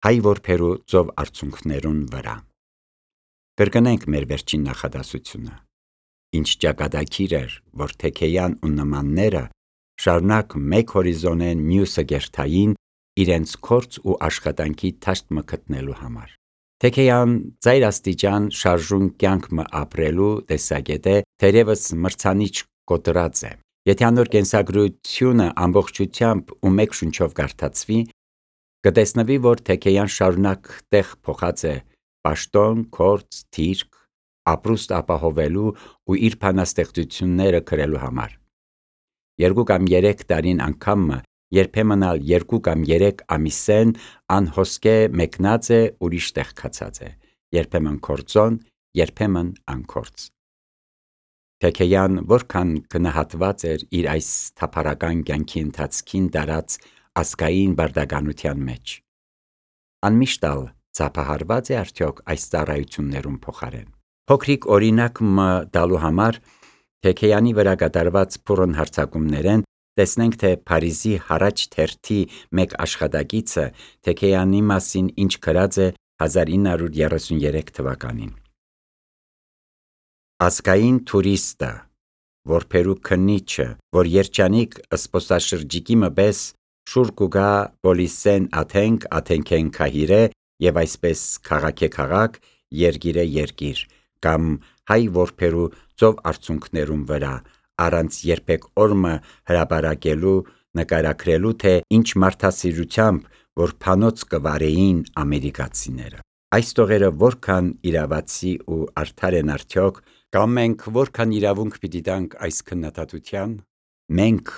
հայ որբերու ծով արցունքներուն վրա։ Կրկնենք մեր վերջին նախադասությունը։ Ինչ ճակատագիր էր, որ Թեքեյան ու նմանները շարունակ մեկ հորիզոնեն մյուսը գերթային իրենց քորձ ու աշխատանքի թաշտ մը գտնելու համար։ Թեքեյան ծայր աստիճան շարժուն կյանք մը ապրելու տեսակետ է, թերևս մրցանիչ կոտրած է։ Եթե անոր կենսագրությունը ամբողջությամբ ու մեկ շունչով կարդացվի, կտեսնվի, որ Թեքեյան շարունակ տեղ փոխած է պաշտոն, քորձ, թիրք, ապրուստ ապահովելու ու իր բանաստեղծությունները գրելու համար։ 2 կամ 3 տարին անգամը, երբեմն ալ 2 կամ 3 ամիսեն անհոսքը մեկնած է ուրիշ տեղ գացած է, երբեմն քորձոն, երբեմն անկորձ։ Թեքեյան որքան գնահատված էր իր այս թափառական կյանքի ընթացքին տարած ազգային բարդականության մեջ։ Անմիշտ ալ ծափահարված է արդյոք այս ծառայություններուն փոխարեն։ Փոքրիկ օրինակ մը տալու համար Թեքեյանի վրա կատարված փորն հարձակումներեն տեսնենք, թե Փարիզի Հարաճ թերթի մեկ աշխատակիցը Թեքեյանի մասին ինչ գրած է 1933 թվականին։ Ազգային թուրիստը, որբերու քննիչը, որ երջանիկ ըսպոսաշրջիկի մպես շուր կուգա Պոլիսեն աթենք, աթենքեն քահիրե և այսպես քաղաք է քաղաք, երգիր է երգիր, կամ հայ որբերու ծով արցունքներուն վրա, առանց երբեք օրմը հրապարակելու, նկարագրելու, թե ինչ մարդասիրությամբ, որ փանոց կվարեին ամերիկացիները։ Այս տողերը որքան իրավացի ու արդար են արդյոք, կամ մենք որքան իրավունք պիտի տանք այս քննադատության։ Մենք,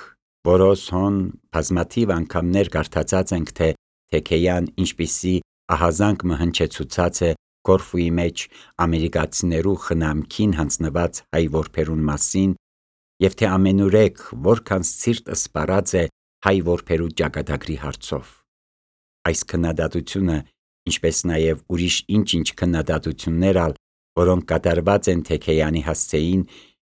որոս հոն բազմաթիվ անգամներ կարդացած ենք, թե Թեքեյան ինչպիսի ահազանգ մը հնչեցուցած է Կորֆուի մեջ ամերիկացիներու խնամքին հանձնված հայ որբերուն մասին, և թե ամենուրեք որքան սիրտ ըսպառած է հայ որբերու ճակատագրի հարցով։ Այս քննադատությունը, ինչպես նաև ուրիշ ինչ քննադատություններ ալ, որոնք կատարված են Թեքեյանի հասցեին,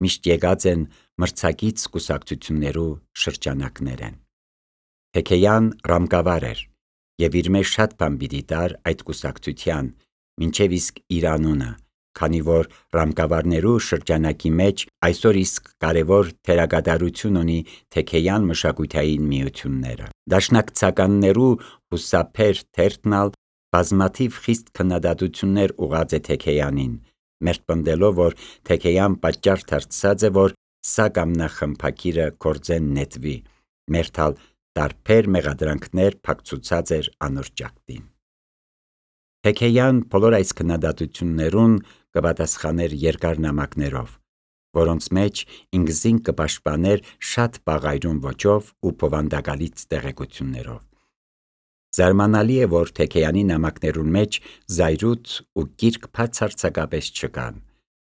միշտ եկած են մրցակից կուսակցություններու շրջանակներեն։ Թեքեյան ռամկավար էր, և իր մեջ շատ բան պիտի տար այդ կուսակցության, մինչև իսկ իր անունը, քանի որ ռամկավարներու շրջանակի մեջ այսօր իսկ կարևոր դերակատարություն ունի Թեքեյան մշակութային միությունները։ Դաշնակցականներու հուսափեր թերթն ալ բազմաթիվ խիստ քննադատություններ ուղղած է Թեքեյանին, մերթպնդելով, որ Թեքեյան պատճառ դարձած է, որ սա կամ նա խմբագիրը գործեն նետվի, մերթալ տարբեր մեղադրանքներ փակցուցած էր անոր ճակտին։ Թեքեյան բոլոր այս քննադատություններուն կպատասխաներ երկար նամակներով, որոնց մեջ ինքզին կպաշտպաներ շատ բաղայրուն ոճով ու բովանդակալից տեղեկություններով։ Զարմանալի է, որ Թեքեյանի նամակներուն մեջ զայրույթ ու կիրք բացարձակապես չկան,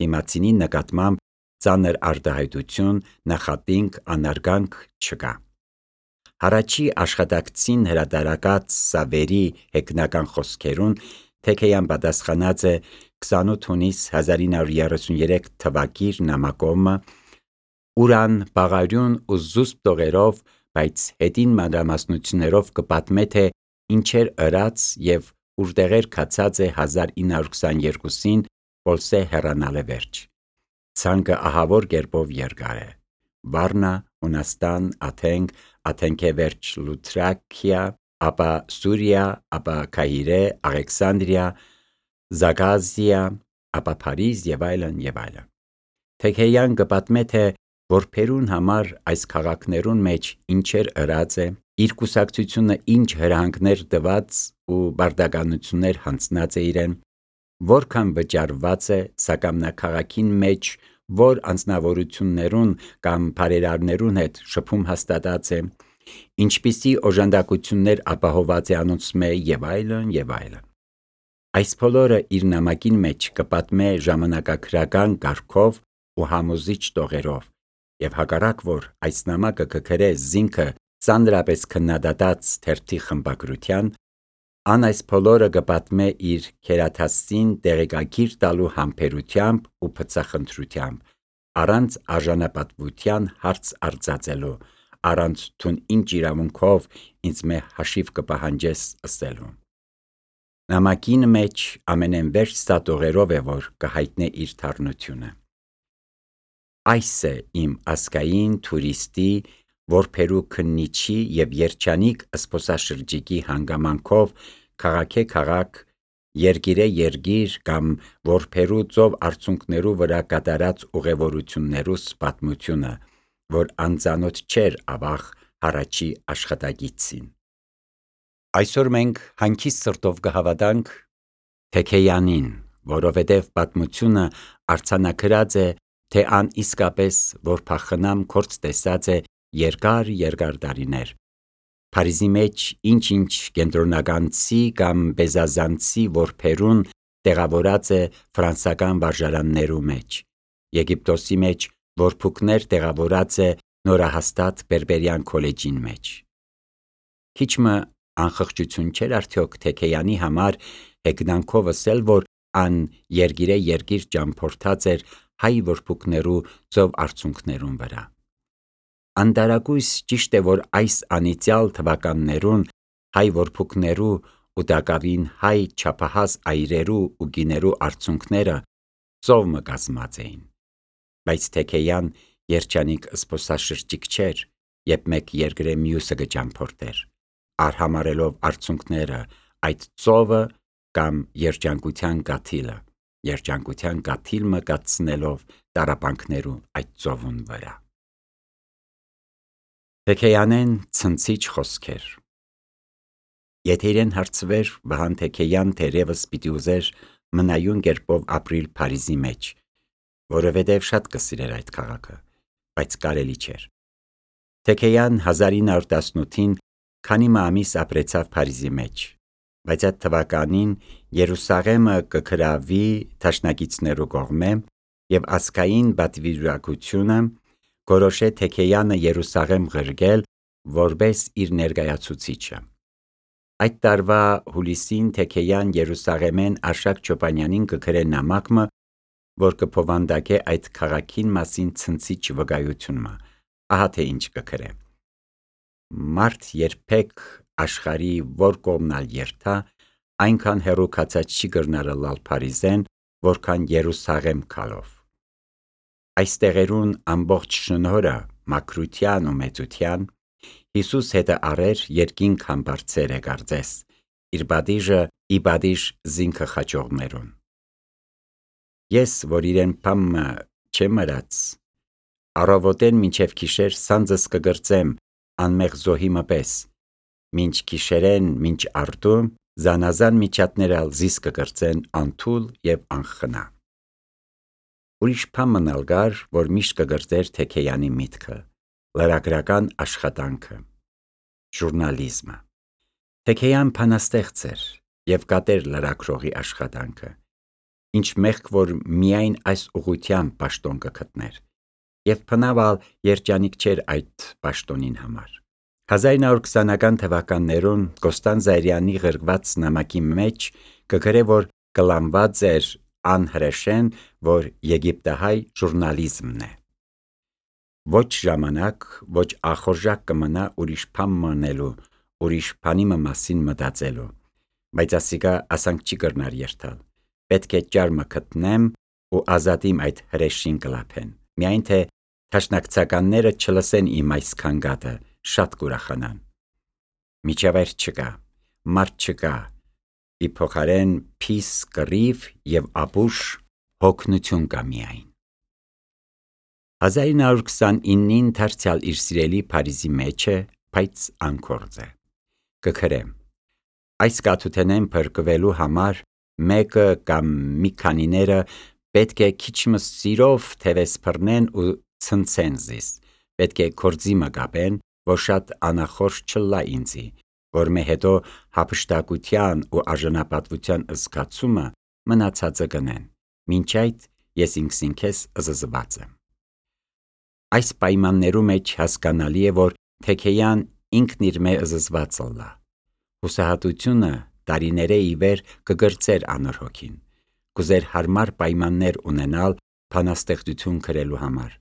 դիմացինի նկատմամբ ծանր արտահայտություն, նախատինք, անարգանք չկա։ Հարաճի աշխատակցին հրատարակած սավերի հեգնական խոսքերուն Թեքեյան պատասխանած է 28 հունիս 1933 թվակիր նամակոմը, ուրան բաղարյուն ու զուսպ տողերով, բայց հետին մանրամասնություններով կպատմե, թե ինչեր ըրած և ուրտեղեր գացած է 1922-ին Պոլսե հեռանալը վերջ։ Ցանկը ահավոր կերպով երկար է. Վարնա, Հունաստան, Աթենք, Աթենքե վերջ Լութրաքիա, ապա Սուրիա, ապա Քահիրե, Աղեքսանդրիա, Զագազիա, ապա Փարիզ և այլն և այլն։ Թեքեյան կպատմե, թե որբերուն համար այս քաղաքներուն մեջ ինչեր ըրած է, իր կուսակցությունը ինչ հրահանգներ տված ու բարդականություններ հանձնած է իրեն, որքան վճարված է, սակայն նա քաղաքին մեջ որ անձնավորություններուն կամ բարերարներուն հետ շփում հաստատած է, ինչպիսի օժանդակություններ ապահոված է անոնցմե և այլն և այլն։ Այս բոլորը իր նամակին մեջ կպատմե ժամանակագրական կարգով ու համոզիչ տողերով, և հակառակ որ այս նամակը կգրե զինքը ծանրապես քննադատած թերթի խմբագրության, ան այս բոլորը կպատմե իր քերաթաստին տեղեկագիր տալու համբերությամբ ու բծախնդրությամբ, առանց արժանապատվության հարց արձածելու, առանց «Դուն ինչ իրավունքով ինձ մե հաշիվ կպահանջես» ըսելու։ Նամակին մեջ ամենեն վերջ ստատողերով է, որ կհայտնե իր թարնությունը։ Այս է իմ ասկային թուրիստի, որբերու քննիչի և երջանիկ զբոսաշրջիկի հանգամանքով քաղաք է քաղաք, երկիր է երկիր կամ որբերու ծով արցունքներու վրա կատարած ուղևորություններուս պատմությունը, որ անծանոթ չէր ավաղ հառաջի աշխատագիտցին։ Այսօր մենք հանգիստ սրտով կհավատանք Թեքեյանին, որովհետև պատմությունը արձանագրած է, թե ան իսկապես որբախնամ կորց տեսած է երկար տարիներ, Փարիզի մեջ ինչ կենտրոնականցի կամ բեզազանցի որբերուն տեղավորած է ֆրանսական վարժարաններու մեջ, Եգիպտոսի մեջ որբուքներ տեղավորած է նորահաստատ բերբերյան քոլեջին մեջ։ Քիչ մը անխղճություն չէր արդյոք Թեքեյանի համար հեգնանքով ասել, որ ան երկիր է երկիր ճամփորդած էր հայ որբուքներու ծով արցունքներուն վրա։ Անտարակույս ճիշտ է, որ այս անիծյալ թվականներուն հայ որբուքներու ու տակավին հայ չափահաս այրերու ու գիներու արցունքները ծով մը կազմած էին, բայց Թեքեյան երջանիկ զբոսաշրջիկ չէր, երբ մեկ երկրե մյուսը կճամփորդեր, արհամարելով արցունքները այդ ծովը կամ երջանկության կաթիլ մը կացնելով տառապանքներու այդ ծովուն վրա։ Թեքեյանեն ցնցիչ խոսքեր։ Եթե իրեն հարցվեր, Վահան Թեքեյան թերևս պիտի ուզեր մնայուն կերպով ապրիլ Փարիզի մեջ, որովհետև շատ կսիրեր այդ քաղաքը, բայց կարելի չէր։ Թեքեյան 1918-ին քանի ամիս ապրեցավ Փարիզի մեջ, բայց այդ թվականին Երուսաղեմը կգրավի դաշնակիցներու կողմէ և ազգային պատվիրակությունը գորոշե Թեքեյանը Երուսաղեմ ղրկել որպես իր ներկայացուցիչը։ Այդ տարվա հուլիսին Թեքեյան Երուսաղեմեն Արշակ Չոպանյանին կգրե նամակ մը, որ կփովանդակե այդ քաղաքին մասին ցնցիչ վկայությունը, ահա թե ինչ կգրե. «Մարդ երբեք աշխարհի որ կողմնալ երթա, այնքան հեռու քացած չի կրնար ըլլալ Փարիզեն, որքան Երուսաղեմ գալով։ Այս տեղերուն ամբողջ շնորհը մաքրության ու մեծության Հիսուս հետը առեր երկինք համբարձեր է կարծես, իր պատիժը ի պատիժ զինքը խաչողներուն։ Ես, որ իրեն փամը չեմ մրած, առավոտեն մինչև գիշեր սանձս կգրծեմ անմեղ զոհի մը պես, մինչ գիշերեն, մինչ արտու, զանազան միջատներ ալ զիս կգրծեն անթուլ և անխնա։ Ուրիշ փամն ալ կար, որ միշտ կգրծեր Թեքեյանի միտքը, լրագրական աշխատանքը, ժուրնալիզմը։ Թեքեյան բանաստեղծ էր և կատեր լրագրողի աշխատանքը, ինչ մեղք որ միայն այս ուղղությամբ պաշտոն կգտներ, և բնավ ալ երջանիկ չէր այդ պաշտոնին համար։ 1920-ական թվականներուն Կոստան Զայրյանի ղրկված նամակի մեջ կգրե, որ կլանված էր անհրեշեն, որ եգիպտահայ ժուրնալիզմն է։ Ոչ ժամանակ, ոչ ախորժակ կմնա ուրիշ բան մնելու, ուրիշ բանի մասին մտածելու, բայց ասիկա ասանք չի կրնար երթալ, պետք է ճարմը գտնեմ ու ազատիմ այդ հրեշին կլափեն, միայն թե դաշնակցականները չլսեն իմ այս քանգատը, շատ կուրախանան։ Միջավայր չկա, մարդ չկա, ի փոխարեն փիս կռիվ և ապուշ հոգնություն կա միայն։ 1929-ին դարձյալ իր սիրելի Փարիզի մեջ է, բայց անկորձ է։ Կգրե. այս կաթութենեն փրկվելու համար մեկը կամ մի քանիները պետք է քիչմը սիրով թևես բռնեն ու ցնցեն զիս, պետք է կորձի մը կապեն, որ շատ անախորժ չլա ինձի, որ մե հետո հափշտակության ու արժանապատվության զգացումը մնացածը կնեն, մինչ այդ ես ինքս զզված եմ։ Այս պայմաններու մեջ հասկանալի է, որ Թեքեյան ինքն իր մե զզված ըլլա։ Հուսահատությունը տարիներէ ի վեր կգրծեր անոր հոգին, կուզեր հարմար պայմաններ ունենալ բանաստեղծություն գրելու համար,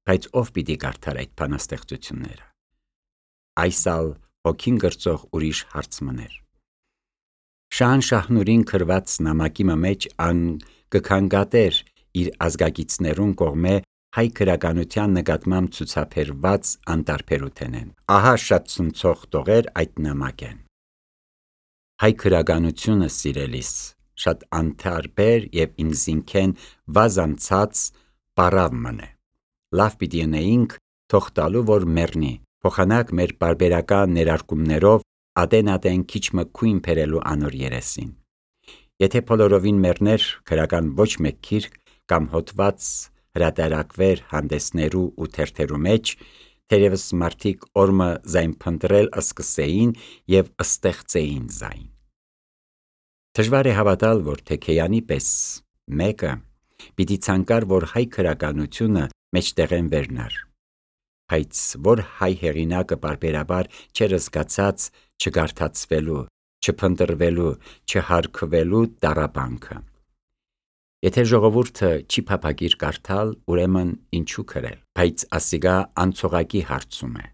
բայց ով պիտի կարդար այդ բանաստեղծությունները։ Այս ալ հոգին գրծող ուրիշ հարց մներ։ Շահան Շահնուրին քրված նամակի մեջ ան կքանգատեր իր ազգագիցներուն կողմէ հայ քրագանության նկատմամբ ցուցաբերված անտարբերութենեն։ Ահա շատ ցնցող տողեր այդ նամակեն։ Հայ քրագանությունը սիրելիս շատ անտարբեր եւ ինքզինքեն վազանցած պարավ մնե։ Լավ պիտի ունեինք թող տալու որ մեռնի, փոխանակ մեր բարբերական ներարկումներով ադեն քիչ մը քույն բերելու անոր երեսին։ Եթե բոլորովին մեռներ քրական ոչ մեկ գիրք կամ հոդված հրատարակվեր հանդեսներու ու թերթերու մեջ, թերևս մարդիկ օրմը զայն փնտրել սկսեին եւ ստեղծեին զայն։ Դժվար է հավատալ, որ Թեքեյանի պես մեկը պիտի ցանկար, որ հայ քրագանությունը մեջտեղեն վերնար, բայց որ հայ հեղինակը բարբերաբար չեր զգացած չգարթացվելու, չփնտրվելու, չհարգվելու տառապանքը։ Եթե ժողովուրդը չի փափագիր կարդալ, ուրեմն ինչու քրել, բայց ասիգա անցողակի հարցում է։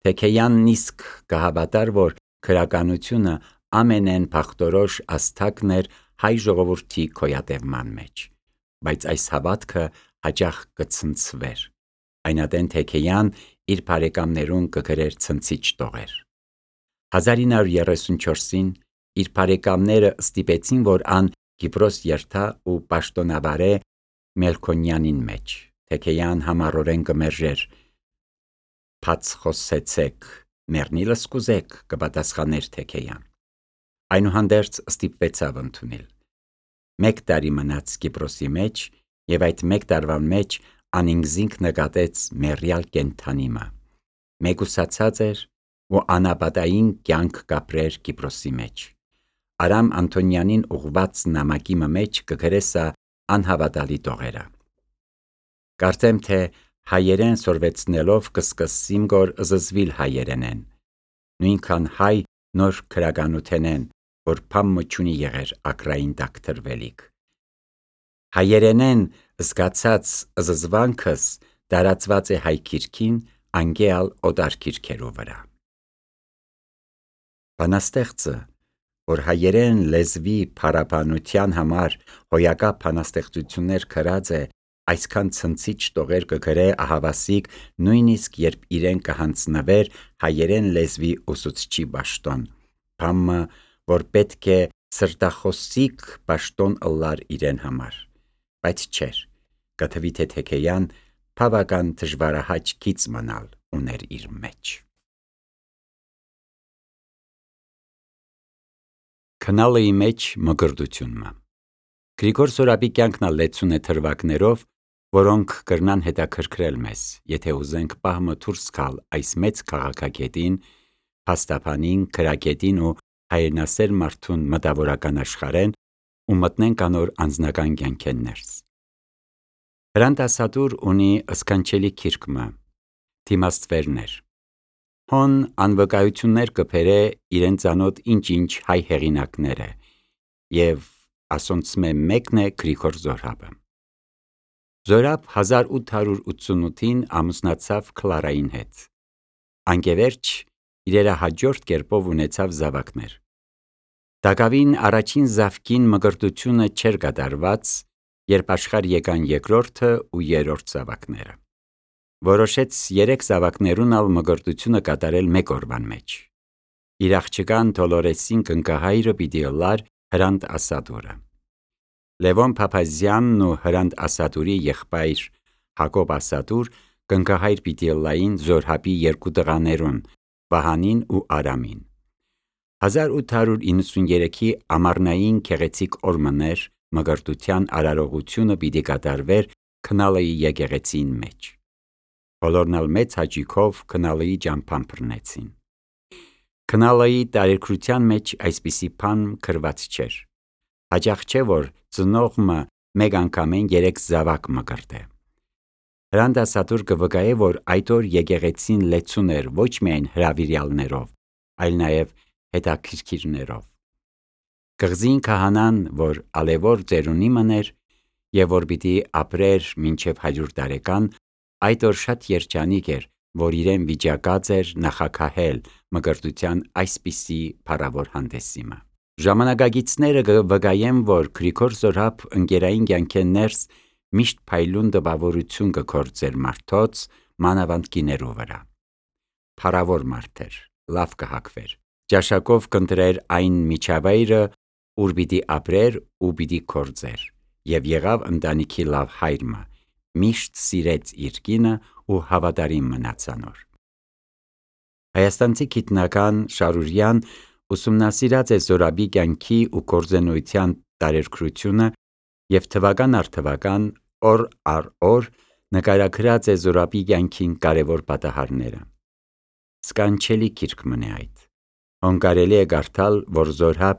Թեքեյանն իսկ կհավատար, որ քրագանությունը ամենեն փախտորոշ աստակն էր հայ ժողովրդի գոյատևման մեջ, բայց այս հավատքը հաճախ կցնցվեր։ Այնադեն Թեքեյան իր բարեկամներուն կգրեր ցնցիչ տողեր։ 1934-ին իր բարեկամները ստիպեցին, որ ան Կիպրոս երթա ու պաշտոնավարե Մելքոնյանին մեջ։ Թեքեյան համառորեն կմերժեր։ «Բաց խոսեցեք, մեռնիլս կուզեք», կպատասխաներ Թեքեյան։ Այնուհանդերձ ստիպվեցավ ընդունել։ 1 տարի մնաց Կիպրոսի մեջ եւ այդ 1 տարվան մեջ անինքզինք նկատեց մեռյալ կենթանիմը։ Մեգուսացած էր ու անապատային կյանք կապրեր Կիպրոսի մեջ։ Արամ Անտոնյանին ուղված նամակի մեջ կգրեսա անհավատալի տողերը։ Կարծեմ թե հայերեն սորվեցնելով կսկսիմ գոր զզվիլ հայերենեն։ Նույնքան հայ նոր քրագանութենեն, որ փամը չունի եղեր ակրային տակ թրվելիք։ Հայերենեն զգացած զզվանքս տարածված է հայ քիրքին, անգեալ օտար քիրքերու վրա։ Բանաստեղծը, որ հայերեն լեզվի փարաբանության համար հոյակապ բանաստեղծություններ գրած է, այսքան ցնցիչ տողեր կգրե ահավասիկ, նույնիսկ երբ իրեն կհանձնվեր հայերեն լեզվի ուսուցչի պաշտոն, բամը, որ պետք է սրտախոսիկ պաշտոն ըլլար իրեն համար, բայց չէր, կթվի թե Թեքեյան բավական դժվարահաճ գիծ մնալ ուներ իր մեջ։ Քնալեի մեջ մգրդությունը։ Գրիգոր Զորաբի կյանքն լեցուն է թրվակներով, որոնք կրնան հետաքրքրել մեզ, եթե ուզենք պահմը դուրս գալ այս մեծ քաղաքագետին, փաստաբանին, քրագետին ու հայրենասեր մարդուն մտավորական աշխարհեն ու մտնենք անոր անձնական կյանքեն ներս։ Հրանտ Ասադուր ունի սքանչելի քիրքմը, թիմաստվերներ։ Հոն անվկայություններ կբերե իրեն ծանոթ ինչ-ինչ հայ հեղինակները եւ ասոնցմե մեկն է Գրիգոր Զորաբը։ Զորաբ 1888-ին ամուսնացավ Քլարային հետ։ Անկևերջ իրերը հաջորդ կերպով ունեցավ զավակներ։ Դակավին առաջին զավկին մգրտությունը չէր կատարված, երբ աշխարհ եկան երկրորդը ու երրորդ զավակները։ Որոշեց 3 զավակներուն ալ մգրտությունը կատարել 1 օրվան մեջ։ Իր աղջկան Դոլորեսին կնկահայրը պիտի ըլլար Հրանտ Ասադուրը։ Լևոն Փափազյանն ու Հրանտ Ասադուրի եղբայր Հակոբ Ասադուր կնկահայր պիտի ըլլային Զորհաբի 2 տղաներուն, Վահանին ու Արամին։ 1893-ի ամառնային քեղեցիկ օրմներ մգրտության արարողությունը պիտի կատարվեր Քնալեի եկեղեցին մեջ։ Բոլորն ալ մեծ հաճույքով Քնալեի ճամփան բռնեցին։ Քնալեի տարեգրության մեջ այսպիսի բան գրված չէր։ Հաճախ չէ, որ ծնողը մեկ անգամեն 3 զավակ մգրտե։ Հրանտ Ասադուր կվկայե, որ այդ օր եկեղեցին լեցուն էր ոչ միայն հրավիրյալներով, այլ նաև հետաքրքիրներով։ Կղզին քահանան, որ ալևոր ծերունի մներ եւ որ պիտի ապրեր մինչև 100 տարեկան, այդ օր շատ երջանիկ էր, որ իրեն վիճակած էր նախաքահել մգրտության այսպիսի փառավոր հանդեսիմը։ Ժամանակագիցները վկայեն, որ Գրիգոր Զորհաբ ընկերային կյանքեն ներս միշտ փայլուն տպավորություն կգործեր մարդոց, մանավանդ կիներու վրա։ Փառավոր մարդ էր, լավ կհագվեր, ճաշակով կընտրեր այն միջավայրը, ուր պիտի ապրեր ու պիտի գործեր, եւ եղավ ընտանիքի լավ հայրը, միշտ սիրեց իր կինը ու հավատարիմ մնաց անոր։ Հայաստանցի գիտնական Շարուրյան ուսումնասիրած է Զորաբի կյանքի ու գործունեության տարերկրությունը եւ թվական առ թվական, օր առ օր նկարագրած է Զորաբի կյանքին կարևոր պատահարները։ Սկանչելի գիրք մնե այդ։ Հոն կարելի է կարդալ, որ Զորհաբ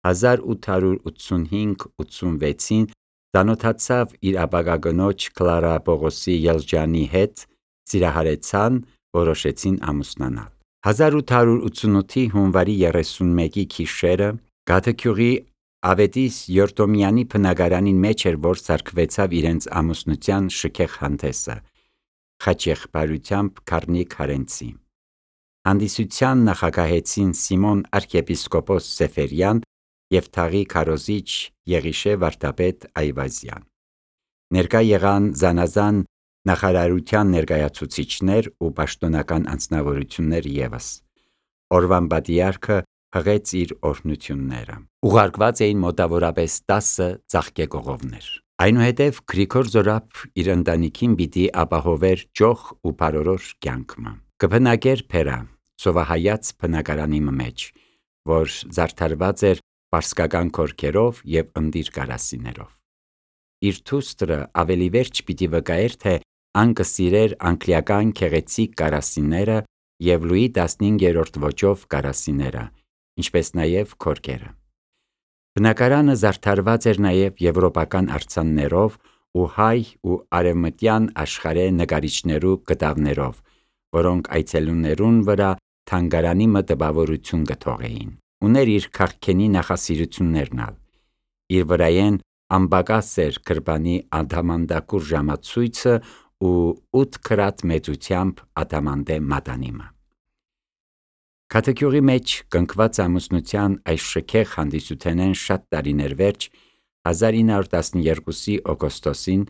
1885-86-ին ծանոթացավ իր ապագա կնոջ Կլարա Պողոսի Ելջանի հետ, սիրահարեցան, որոշեցին ամուսնանալ։ 1888-ի հունվարի 31-ի գիշերը Գաթեգյուղի Ավետիս Յորտոմյանի բնակարանին մեջ էր, որ սարքվեցավ իրենց ամուսնության շքեղ հանդեսը, խաչեղբայրությամբ Գառնիկ Հարենցի։ Հանդիսության նախագահեցին Սիմոն arczepiskopos Սեֆերյան և թաղի քարոզիչ Եղիշե վարդապետ Այվազյան։ Ներկա եղան զանազան նախարարության ներկայացուցիչներ ու պաշտոնական անձնավորություններ ևս։ Օրվան պատիարքը հղեց իր օրհնությունները։ Ուղարկված էին մոտավորապես 10 ծաղկեկողովներ։ Այնուհետև Գրիգոր Զորհաբ իր ընտանիքին պիտի ապահովեր ճոխ ու բարորոշ կյանքը։ Կբնակեր Փերա, Սովահայաց բնակարանի մեջ, որ զարդարված էր պարսկական քորքերով և ընտիր կարասիներով։ Իր դուստրը ավելի վերջ պիտի վկայեր, թե ան կսիրեր անգլիական գեղեցիկ կարասիները և Լուի 15-րդ ոճով կարասիները, ինչպես նաև քորքերը։ Բնակարանը զարդարված էր նաև եվրոպական արձաններով ու հայ ու արևմտյան աշխարհի նկարիչներու կտավներով, որոնք այցելուներուն վրա թանգարանի տպավորություն կթողեին։ Ուներ իր քաղքենի նախասիրություններն ալ։ Իր վրայեն անպակաս էր գրպանի ադամանդակուր ժամացույցը ու 8 քրատ մեծությամբ ադամանդե մատանիմը։ Գաթեգյուղի մեջ կնքված ամուսնության այս շքեղ հանդիսութենեն շատ տարիներ վերջ 1912-ի օգոստոսին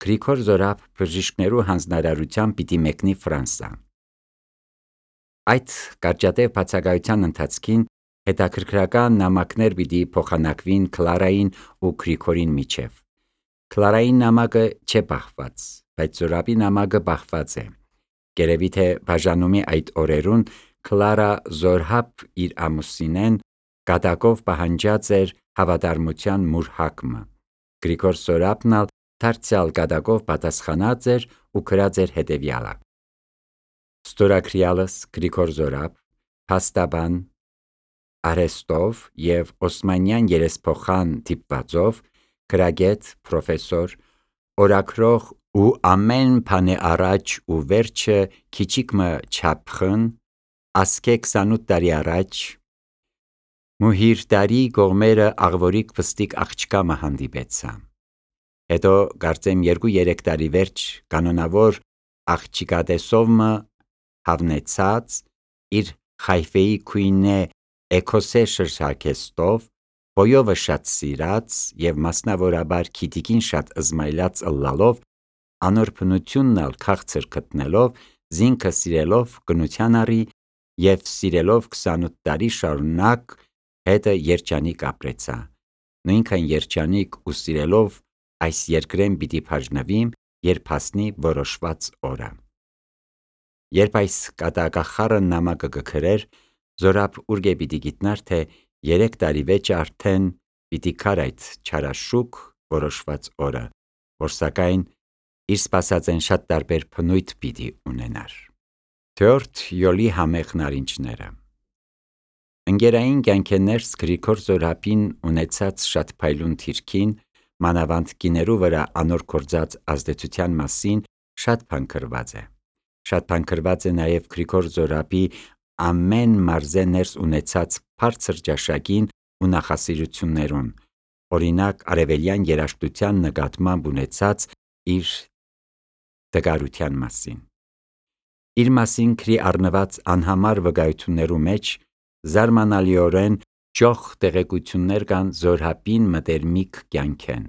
Գրիգոր Զորհաբ բժիշկներու հանձնարարությամբ պիտի մեկնի Ֆրանսա։ Այդ կարճատև բացակայության ընթացքին հետաքրքրական նամակներ պիտի փոխանակվին Կլարային ու Գրիգորին միջև։ Կլարայի նամակը չէ պահված, բայց Զորհաբի նամակը պահված է։ Գերևի թե բաժանումի այդ օրերուն Կլարա Զորհաբ իր ամուսինեն կատակով պահանջած էր հավատարմության մուրհակը։ Գրիգոր Զորհաբն ալ դարձյալ կատակով պատասխանած էր ու գրած էր հետևյալը. Ստորագրյալս Գրիգոր Զորհաբ, փաստաբան, արհեստով և Օսմանյան երեսփոխան դիպվածով, գրագետ, պրոֆեսոր, օրագրող ու ամեն բանի առաջ ու վերջը քիչիկմը չափխն, ասկե 28 տարի առաջ մուհիրդարի կողմերը աղվորիկ պստիկ աղջկամը հանդիպեցա։ Հետո կարծեմ 2-3 տարի վերջ կանոնավոր աղջիկատեսովմը հավնեցած իր Խայֆեի քույնե էքոսե շրշակեստով, բոյովը շատ սիրած և մասնավորաբար քիտիկին շատ ըզմայլած ըլլալով, անոր բնությունն ալ քաղցր գտնելով, զինքը սիրելով կնության առի և սիրելով 28 տարի շարունակ հետը երջանիկ ապրեցա, նույնքան երջանիկ ու սիրելով այս երկրեն պիտի բաժնվիմ, երբ հասնի որոշված օրը։ Երբ այս կատակախառն նամակը կգրեր, Զորհաբ ուր պիտի գիտնար, թե 3 տարի վեճ արդեն պիտի գար այդ չարաշուք որոշված օրը, որ սակայն իր սպասածեն շատ տարբեր բնույթ պիտի ունենար։ Թորդ յոլի համեղ նարինջները։ Ընկերային կյանքեն ներս Գրիգոր Զորհաբին ունեցած շատ փայլուն թիրքին, մանավանդ կիներու վրա անոր գործած ազդեցության մասին շատ բան գրված է։ Շատ բան գրված է նաև Գրիգոր Զորհաբի ամեն մարզե ներս ունեցած բարձր ճաշակին ու նախասիրություններուն, օրինակ արևելյան երաժշտության նկատմամբ ունեցած իր տկարության մասին։ Իր մասին գրի առնված անհամար վկայություններու մեջ զարմանալիորեն ճոխ տեղեկություններ կան զորհապին մտերմիկ կյանքեն։